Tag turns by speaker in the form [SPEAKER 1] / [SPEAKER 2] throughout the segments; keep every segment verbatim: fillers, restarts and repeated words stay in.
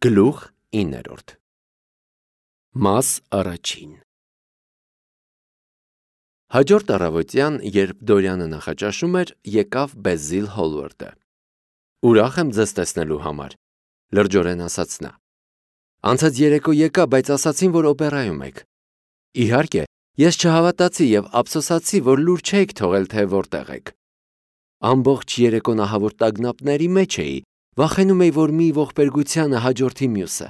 [SPEAKER 1] Գլուխ իններորդ Մաս առաջին Հաջորդ առավոտյան, երբ Դորյանը նախաճաշում էր, եկավ Բեզիլ Հոլվարդը։ Ուրախ եմ ձեզ տեսնելու համար, լրջորեն ասաց նա։ Անցած երեկո եկա, բայց ասացին, որ օպերայում եք։ Իհարկե, ես չհավատացի և ափսոսացի, որ լուր չէիք թողել, թե որտեղ եք։ Ամբողջ երեկո նահավոր տագնապների մեջ էի, վախենում էի, որ մի ողբերգությանը հաջորդի մյուսը։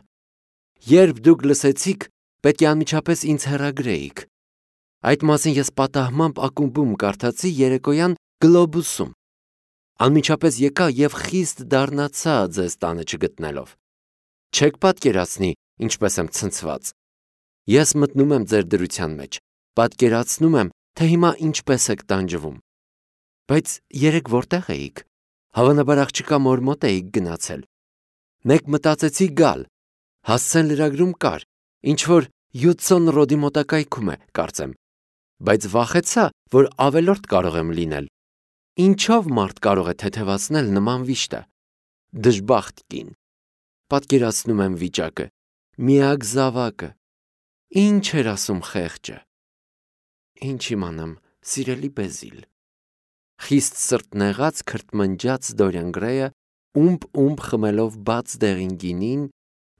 [SPEAKER 1] Երբ դուք լսեցիք, պետք է անմիջապես ինձ հեռագրեիք։ Այդ մասին ես պատահմամբ ակումբում կարդացի երեկոյան Գլոբուսում։ Անմիջապես եկա և խիստ դառնացա ձեզ տանը չգտնելով։ Չեք պատկերացնի, ինչպես եմ ցնցված։ Ես մտնում եմ ձեր դրության մեջ, պատկերացնում եմ, թե հիմա ինչպես եք տանջվում։ Բայց երեկ որտեղ էիք։ Հավանաբար աղջկա մոր մոտ էիք գնացել։ Մեկ մտածեցի գալ, հասցեն լրագրում կար, ինչ-որ Հյուդսոն Ռոդի մոտակայքում է, կարծեմ, բայց վախեցա, որ ավելորդ կարող եմ լինել։ Ինչով մարդ կարող է թեթևացնել նման վիշտը։ Դժբախտ կին։ Պատկերացնում եմ վիճակը, միակ զավակը։ Ինչ էր ասում խեղճը։ Ինչ իմանամ, սիրելի Բեզիլ։ Խիստ սրտնեղած քրթմնջաց Դորյան Գրեյը, ումբ-ումբ խմելով բաց դեղին գինին,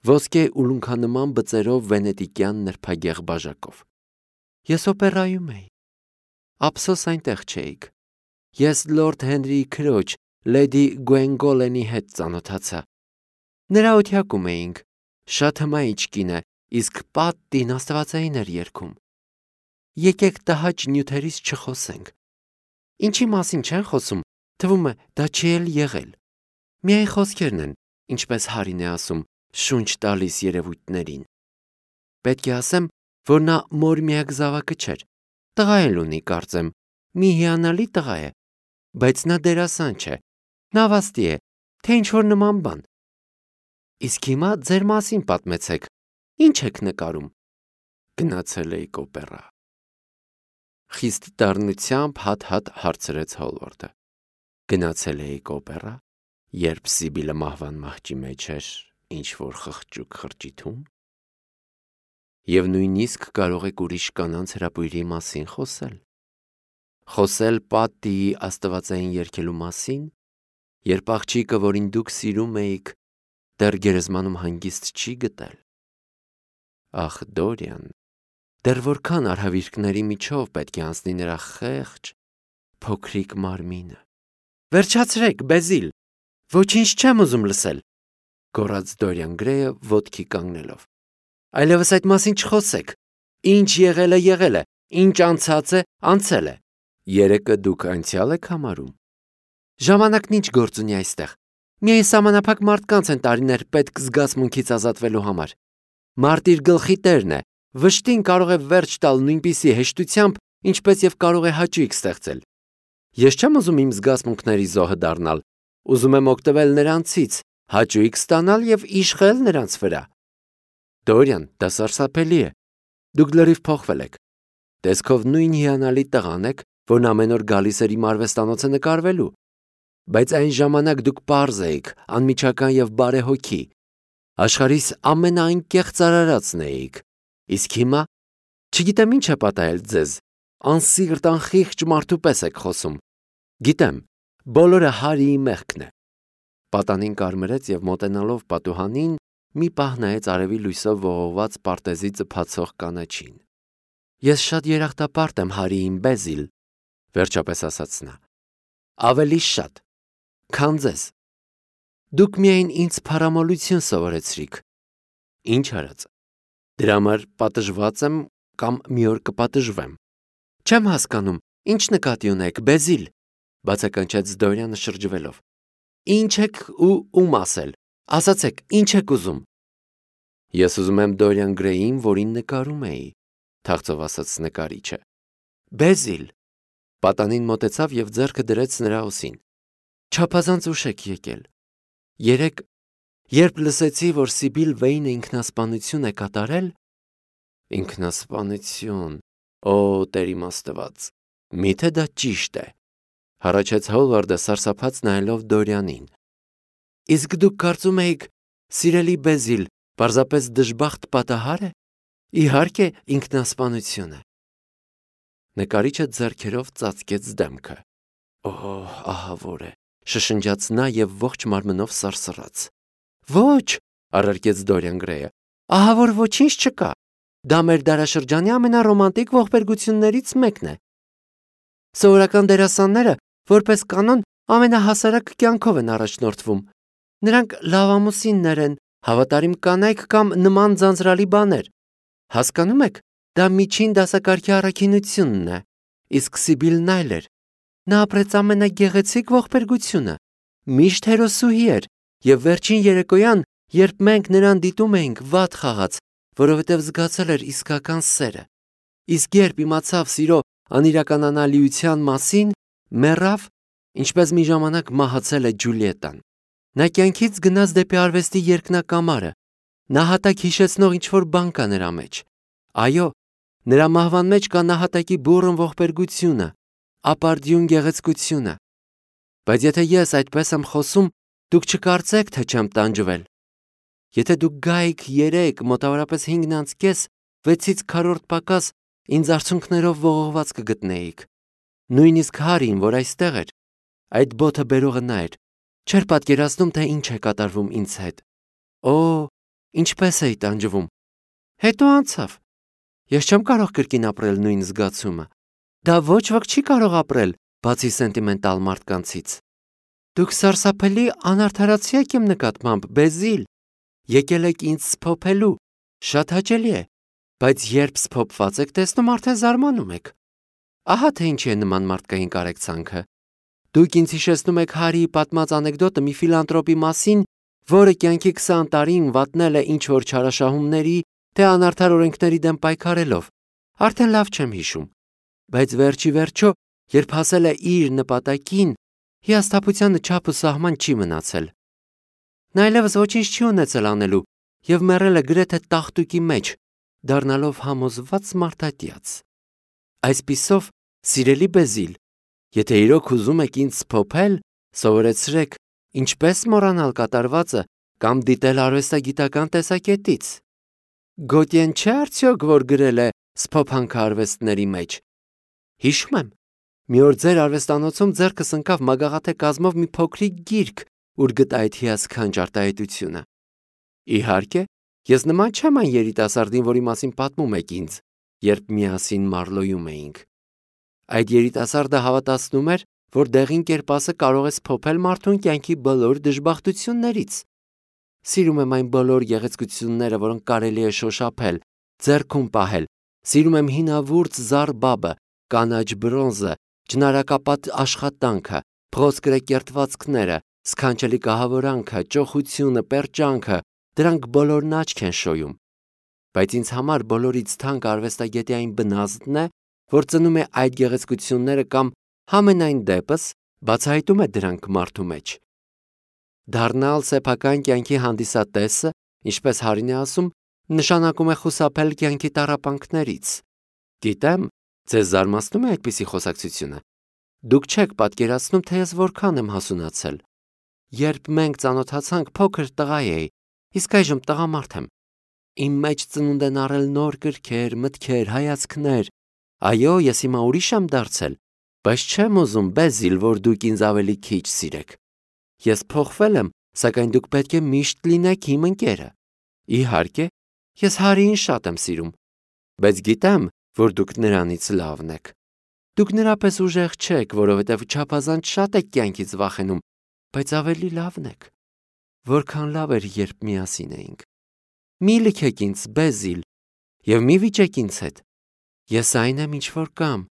[SPEAKER 1] ոսկե ուլունքանման բծերով վենետիկյան նրբագեղ բաժակով։ Ես օպերայում էի։ Ափսոս այնտեղ չէիք։ Ես լորդ Հենրիի քրոջ, լեդի Գուենգոլենի հետ ծանոթացա։ Նրա օթյակում էինք, շատ հմայիչ կին է, իսկ պատտին աստվածային էր երգում։ Եկեք տհաճ նյութերից չխոսենք։ Ինչի մասին չեն խոսում, թվում է դա չի էլ եղել։ Միայն խոսքերն են, ինչպես Հարին է ասում, շունչ տալիս երևույթներին։ Պետք է ասեմ, որ նա մոր միակ զավակը չէր, տղա էլ ունի, կարծեմ, մի հիանալի տղա է, բայց նա դերասան չէ, նավաստի է, թե ինչ-որ նման բան։ Իսկ հիմա ձեր մասին պատմեցեք, ինչ եք նկարում։ Գնացել էիք օպերա։ Խիստ դառնությամբ հատ-հատ հարցրեց Հոլվարդը։ Գնացել էիք օպերա, երբ Սիբիլը մահվան մահճի մեջ էր, ինչ-որ խղճուկ խրճիթում։ Եվ նույնիսկ կարող եք ուրիշ կանանց հրապույրի մասին խոսել։ Խոսել պատիի աստվածային երգելու մասին, երբ աղջիկը, որին դուք սիրում էիք, դեռ գերեզմանում հանգիստ չի գտել։ Ախ, Դորյան, դեռ որքան արհավիրքների միջով պետք է անցնի նրա խեղճ, փոքրիկ մարմինը։ Վերջացրեք, Բեզիլ, ոչինչ չեմ ուզում լսել, գոռաց Դորյան Գրեյը ոտքի կանգնելով։ Այլևս այդ մասին չխոսեք։ Ինչ եղել է, եղել է, ինչ անցած է, անցել է։ Երեկը դուք անցյալ եք համարում։ Ժամանակն ինչ գործ ունի այստեղ։ Միայն սահմանափակ մարդկանց են տարիներ պետք զգացմունքից ազատվելու համար։ Մարդ իր գլխի տերն է, վշտին կարող է վերջ տալ նույնպիսի հեշտությամբ, ինչպես եւ կարող է հաճույք ստեղծել։ Ես չեմ ուզում իմ զգացմունքների զոհը դառնալ, ուզում եմ օգտվել նրանցից, հաճույք ստանալ եւ իշխել նրանց վրա։ Դորյան, դա սարսափելի է։ Դուք լրիվ փոխվել եք։ Տեսքով նույն հիանալի տղան եք, որն ամեն օր գալիս էր իմ արվեստանոցը նկարվելու։ Բայց այն ժամանակ դուք պարզ էիք, անմիջական եւ բարեհոգի։ Աշխարհիս ամենաանկեղծ արարածն էիք։ Իսկ հիմա չգիտեմ ինչ է պատահել ձեզ, անսիրտ անխիղճ մարդու պես եք խոսում։ Գիտեմ, բոլորը Հարիի մեղքն է։ Պատանին կարմրեց եւ մոտենալով պատուհանին մի պահ նայեց արևի լույսով ողողված պարտեզի ծփացող կանաչին։ Ես շատ երախտապարտ եմ Հարիին, Բեզիլ, վերջապես ասաց նա։ Ավելի շատ, քան ձեզ։ Դուք միայն ինձ փառամոլություն սովորեցրիք։ Ինչ արած։ Դրա համար պատժված եմ կամ մի օր կպատժվեմ։ Չեմ հասկանում, ինչ նկատի ունեք, Բեզիլ, բացականչեց Դորյանը շրջվելով։ Ինչ եք ու ում ասել։ Ասացեք, ինչ եք ուզում։ Ես ուզում եմ Դորյան Գրեյին, որին նկարում էի, թախծով ասաց նկարիչը։ Բեզիլ, պատանին մոտեցավ եւ ձեռքը դրեց նրա ուսին։ Չափազանց ուշ եք եկել։ Երեկ, երբ լսեցի, որ Սիբիլ Վեյնը ինքնասպանություն է կատարել, ինքնասպանություն, օ, Տեր իմ Աստված, միթե դա ճիշտ է, հառաչեց Հոլվարդը սարսափած նայելով Դորյանին։ Իսկ դուք կարծում էիք, Սիրելի Բեզիլ, պարզապես դժբախտ պատահար է։ Իհարկե, ինքնասպանություն է։ Նկարիչը ձեռքերով ծածկեց դեմքը։ Օհ, ահա որ է, շշնջաց նա եւ ողջ մարմնով սարսռաց։ Ոչ, առարկեց Դորիան Գրեյը։ Ահա որ ոչինչ չկա։ Դա մեր դարաշրջանի ամենառոմանտիկ ողբերգություններից մեկն է։ Սովորական դերասանները, որպես կանոն, ամենահասարակ կյանքով են առաջնորդվում։ Նրանք լավամուսիններ են, հավատարիմ կանայք կամ նման ձանձրալի բաներ։ Հասկանում եք, դա միջին դասակարգի առաքինությունն է, իսկ Սիբիլն այլ էր։ Նա ապրեց ամենագեղեցիկ ողբերգությունը, միշտ հերոսուհի էր, եւ վերջին երեկոյան, երբ մենք նրան դիտում էինք, վատ խաղաց, որովհետև զգացել էր իսկական սերը։ Իսկ երբ իմացավ սիրո անիրականանալիության մասին, մեռավ, ինչպես մի ժամանակ մահացել է Ջուլիետան։ Նա կյանքից գնաց դեպի արվեստի երկնակամարը։ Նահատակ հիշեցնող ինչ-որ բան կա նրա մեջ։ Այո, նրա մահվան մեջ կա նահատակի բուռն ողբերգությունը, ապարդյուն գեղեցկությունը։ Բայց եթե ես այդպես եմ խոսում, դուք չկարծեք, թե չեմ տանջվել։ Եթե դուք գայիք երեք, մոտավորապես հինգն անց կես, վեցից քառորդ պակաս ինձ արցունքներով ողողված կգտնեիք։ Նույնիսկ Հարին, որ այստեղ էր, այդ բոթը բերողը նա էր, չէր պատկերացնում, թե ինչ է կատարվում ինձ հետ։ Օ, ինչպես էի տանջվում։ Հետո անցավ։ Ես չեմ կարող կրկին ապրել նույն զգացումը։ Դա ոչ ոք չի կարող ապրել, բացի սենտիմենտալ մարդկանցից։ Դուք սարսափելի անարդարացի եք իմ նկատմամբ, Բեզիլ։ Եկել եք ինձ սփոփելու, շատ հաճելի է, բայց երբ սփոփված եք տեսնում, արդեն զարմանում եք։ Ահա թե ինչի է նման մարդկային կարեկցանքը։ Դուք ինձ հիշեցնում եք Հարիի պատմած անեկդոտը մի ֆիլանտրոպի մասին, որը կյանքի քսան տարին վատնել է ինչ-որ չարաշահումների, թե անարդար օրենքների դեմ պայքարելով։ Արդեն լավ չեմ հիշում։ Բայց վերջի վերջո, երբ հասել է իր նպատակին, հիասթափությանը չափ ու սահման չի մնացել։ Նա այլևս ոչինչ չի ունեցել անելու եւ մեռել է գրեթե տախտուկի մեջ, դառնալով համոզված մարդատյաց։ Այսպիսով, սիրելի Բեզիլ, եթե իրոք ուզում եք ինձ սփոփել, սովորեցրեք ինչպես մոռանալ կատարվածը կամ դիտել արվեստագիտական տեսակետից։ Գոտյեն չէ արդյոք, որ գրել է սփոփանքը արվեստների մեջ։ Հիշում եմ, մի օր ձեր արվեստանոցում ձեռքս ընկավ մագաղաթե կազմով մի փոքրիկ գիրք, ուր գտա այդ հիասքանչ արտահայտությունը։ Իհարկե, ես նման չեմ այն երիտասարդին, որի մասին պատմում եք ինձ, երբ միասին Մարլոյում էինք։ Այդ երիտասարդը հավատացնում էր, որ դեղին կերպասը կարող է սփոփել մարդուն կյանքի բոլոր դժբախտություններից։ Սիրում եմ այն բոլոր գեղեցկությունները, որոնք կարելի է շոշափել, ձեռքում պահել։ Սիրում եմ հինավուրց զարբաբը, կանաչ բրոնզը, ճնարակապատ աշխատանքը, փղոսկրե կերտվածքները, սքանչելի կահավորանքը, ճոխությունը, պերճանքը, դրանք բոլորն աչք են շոյում։ Բայց ինձ համար բոլորից թանկ արվեստագետի այն բնազդն է, որ ծնում է այդ գեղեցկությունները կամ համենայն դեպս բացահայտում է դրանք մարդու մեջ։ Դառնալ սեփական կյանքի հանդիսատեսը, ինչպես Հարին է ասում, նշանակում է խուսափել կյանքի տառապանքներից։ Գիտեմ, ձեզ զարմացնում է այդպիսի խոսակցությունը։ Դուք չեք պատկերացնում, թե ես որքան եմ հասունացել։ Երբ մենք ծանոթացանք, փոքր տղա էի, իսկ այժմ տղամարդ եմ։ Իմ մեջ ծնունդ են առել նոր կրքեր, մտքեր, հայացքներ։ Այո, ես հիմա ուրիշ եմ դարձել, բայց չեմ ուզում, Բեզիլ, որ դուք ինձ ավելի քիչ սիրեք։ Ես փոխվել եմ, սակայն դուք պետք է միշտ լինեք իմ ընկերը։ Իհարկե, ես Հարիին շատ եմ սիրում, բայց գիտեմ, որ դուք նրանից լավն եք։ Դուք նրա պես ուժեղ չեք, որովհետև չափազանց շատ եք կյանքից վախենում, բայց ավելի լավն եք։ Որքան լավ էր, երբ միասին էինք։ Մի լքեք ինձ, Բեզիլ, եւ մի վիճեք ինձ հետ։ Ես այն եմ, ինչ որ կամ,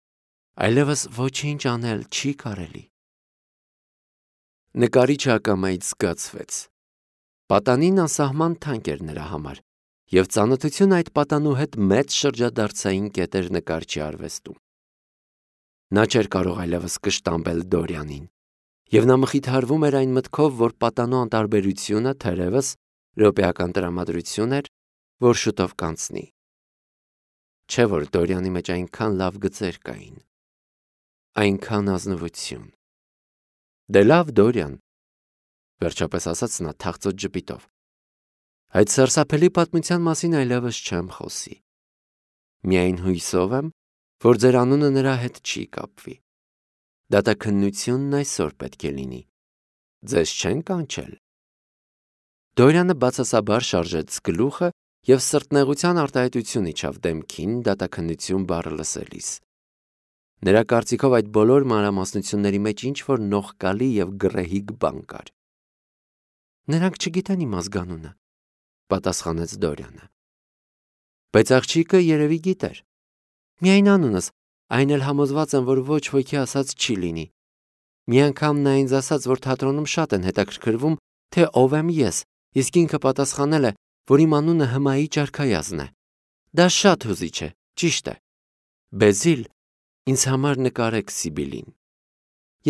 [SPEAKER 1] այլևս ոչինչ անել չի կարելի։ Նկարիչը ակամայից զգացվեց։ Պատանին անսահման թանկ էր նրա համար, եւ ծանոթությունը այդ պատանու հետ մեծ շրջադարձային կետ էր նկարչի արվեստում։ Նա չէր կարող այլևս կշտամբել Դորյանին, եւ նա մխիթարվում էր այն մտքով, որ պատանու անտարբերությունը թերևս րոպեական տրամադրություն էր, որ շուտով կանցնի։ Չէ՞ որ Դորյանի մեջ այնքան լավ գծեր կային, այնքան ազնվություն։ Դե լավ, Դորյան, վերջապես ասաց նա թախծոտ ժպիտով։ Այդ սարսափելի պատմության մասին այլևս չեմ խոսի։ Միայն հույսով եմ, որ ձեր անունը նրա հետ չի կապվի։ Դատաքննությունն այսօր պետք է լինի։ Ձեզ չեն կանչել։ Դորյանը բացասաբար շարժեց գլուխը և սրտնեղության արտահայտություն իջավ դեմքին դատաքննություն բառը լսելիս։ Նրա կարծիքով այդ բոլոր մանրամասնությունների մեջ ինչ-որ նողկալի և գռեհիկ բան կար։ Նրանք չգիտեն իմ ազգանունը, պատասխանեց Դորյանը։ Բայց աղջիկը երևի գիտեր։ Միայն անունս, այն էլ համոզված եմ, որ ոչ ոքի ասած չի լինի։ Մի անգամ նա ինձ ասաց, որ թատրոնում շատ են հետաքրքրվում, թե ով եմ ես, իսկ ինքը պատասխանել է, որ իմ անունը Հմայիչ արքայազն է։ Դա շատ հուզիչ է, ճիշտ է։ Բեզիլ, ինձ համար նկարեք Սիբիլին։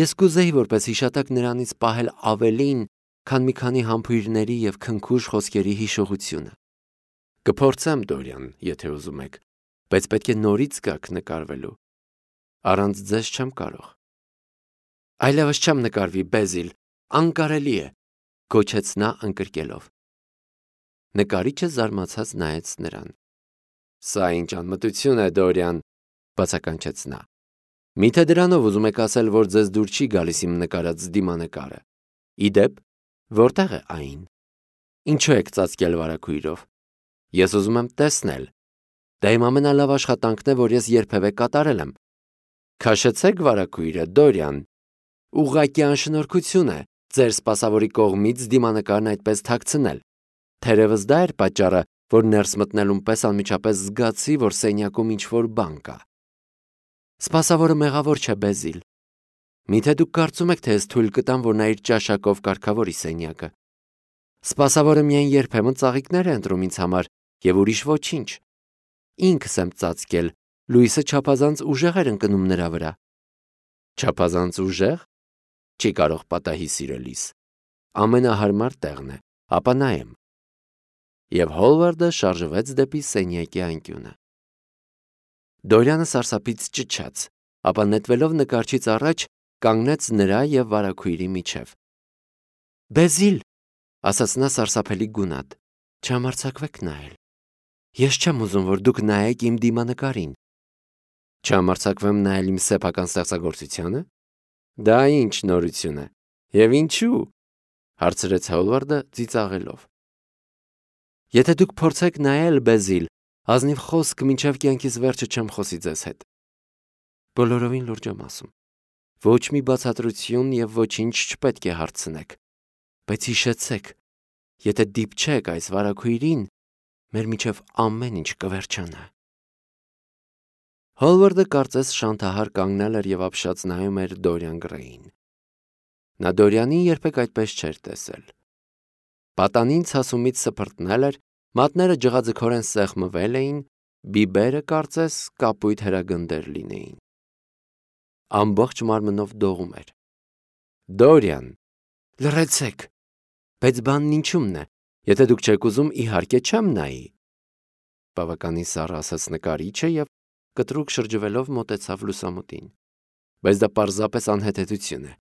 [SPEAKER 1] Ես կուզեի որպես հիշատակ նրանից պահել ավելին, քան մի քանի համբույրների և քնքուշ խոսքերի հիշողությունը։ Կփորձեմ, Դորյան, եթե ուզում եք, բայց պետք է նորից գաք նկարվելու։ Առանց ձեզ չեմ կարող։ Այլևս չեմ նկարվի, Բեզիլ, անկարելի է, գոչեց նա ընկրկելով։ Նկարիչը զարմացած նայեց նրան։ Սա ինչ անմտություն է, Դորյան, բացականչեց նա։ Միթե դրանով ուզում եք ասել, որ ձեզ դուր չի գալիս իմ նկարած դիմանկարը։ Իդեպ, որտեղ է այն։ Ինչու եք ծածկել վարագույրով։ Ես ուզում եմ տեսնել։ Դա իմ ամենալավ աշխատանքն է, որ ես երբևէ կատարել եմ։ Քաշեցեք վարագույրը, Դորյան։ Ուղղակի անշնորհքություն է ձեր սպասավորի կողմից դիմանկարն այդպես թաքցնել։ Թերևս դա էր պատճառը, որ ներս մտնելուն պես անմիջապես զգացի, որ սենյակում ինչ-որ բան կա։ Սպասավորը մեղավոր չէ, Բեզիլ։ Միթե դուք կարծում եք, թե ես թույլ կտամ, որ նա իր ճաշակով կարգավորի սենյակը։ Սպասավորը միայն երբեմն ծաղիկներ է ընտրում ինձ համար և ուրիշ ոչինչ։ Ինքս եմ ծածկել, լույսը չափազանց ուժեղ էր ընկնում նրա վրա։ Չափազանց ուժեղ։ Չի կարող պատահի սիրելիս։ Ամենահարմար տեղն է, ապա նայեմ։ Եվ Հոլվարդը շարժվեց դեպի սենյակի անկյունը։ Դորյանը սարսափից ճչաց, ապա նետվելով նկարչից առաջ կանգնեց նրա և վարագույրի միջև։ Բեզիլ, ասաց նա սարսափելի գունատ, չհամարձակվեք նայել։ Ես չեմ ուզում, որ դուք նայեք իմ դիմանկարին։ Չհամարձակվեմ նայել իմ սեփական ստեղծագործությանը։ Դա ինչ նորություն է։ Եվ ինչու՞։ Հարցրեց Հոլվարդը ծիծաղելով։ Եթե դուք փորձեք նայել, Բեզիլ, ազնիվ խոսք մինչև կյանքիս վերջը չեմ խոսի ձեզ հետ։ Բոլորովին լուրջ եմ ասում։ Ոչ մի բացատրություն և ոչինչ չպետք է հարցնեք։ Բայց հիշեցեք, եթե դիպչեք այս վարագույրին, մեր միջև ամեն ինչ կվերջանա։ Հոլվարդը կարծես շանթահար կանգնել էր և ապշած նայում էր Դորյան Գրեյին։ Նա Դորյանին երբեք այդպես չէր տեսել։ Պատանին ցասումից սփռտնել էր, մատները ջղաձգորեն սեղմվել էին, բիբերը կարծես կապույտ հրագնդեր լինեին։ Ամբողջ մարմնով դողում էր։ Դորյան, լռեցեք։ Բայց բանն ինչումն է, եթե դուք չեք ուզում, իհարկե չեմ նայի։ Բավականին սառը ասաց նկարիչը և կտրուկ շրջվելով մոտեցավ լուսամուտին։ Բայց դա պարզապես անհեթեթություն է։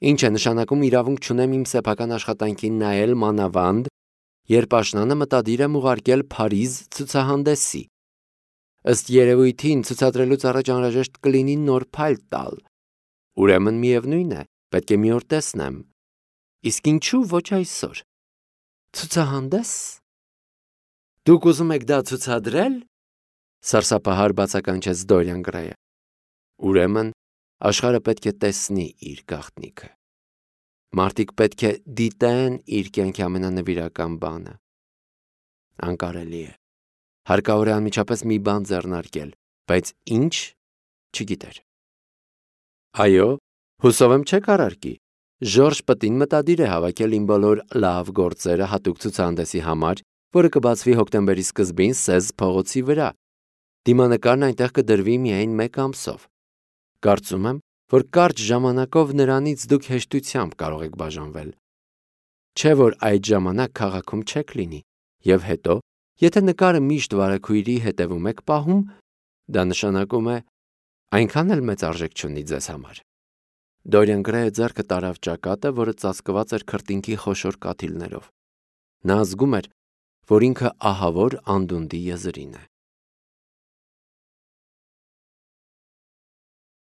[SPEAKER 1] Ինչ է նշանակում իրավունք չունեմ իմ սեփական աշխատանքին նայել մանավանդ, երբ աշնանը մտադիր եմ ուղարկել Փարիզ ցուցահանդեսի։ Ըստ երևույթին ցուցադրելուց առաջ անհրաժեշտ կլինի նոր փայլ տալ։ Ուրեմն միևնույն է, պետք է մի օր տեսնեմ։ Իսկ ինչու ոչ այսօր։ Ցուցահանդես։ Դուք ուզում եք դա ցուցադրել։ Սարսափահար բացականչեց Դորյան Գրեյը։ Ուրեմն աշխարհը պետք է տեսնի իր գաղտնիքը։ Մարդիկ պետք է դիտեն իր կյանքի ամենանվիրական բանը։ Անկարելի է։ Հարկավոր է անմիջապես մի բան ձեռնարկել, բայց ինչ չգիտեր։ Այո, հուսով եմ չեք առարկի։ Ժորժ Պտին մտադիր է հավաքել իմ բոլոր լավ գործերը հատուկ ցուցահանդեսի համար, որը կբացվի հոկտեմբերի սկզբին Սեզ փողոցի վրա։ Դիմանկարն այնտեղ կդրվի միայն մեկ ամսով։ Կարծում եմ, որ կարճ ժամանակով նրանից դուք հեշտությամբ կարող եք բաժանվել։ Չէ՞ որ այդ ժամանակ քաղաքում չեք լինի, և հետո, եթե նկարը միշտ վարագույրի հետևում եք պահում, դա նշանակում է այնքան էլ մեծ արժեք չունի ձեզ համար։ Դորյան Գրեյը ձեռքը տարավ ճակատը, որը ծածկված էր քրտինքի խոշոր կաթիլներով։ Նա զգում էր, որ ինքը ահավոր անդունդի եզրին է։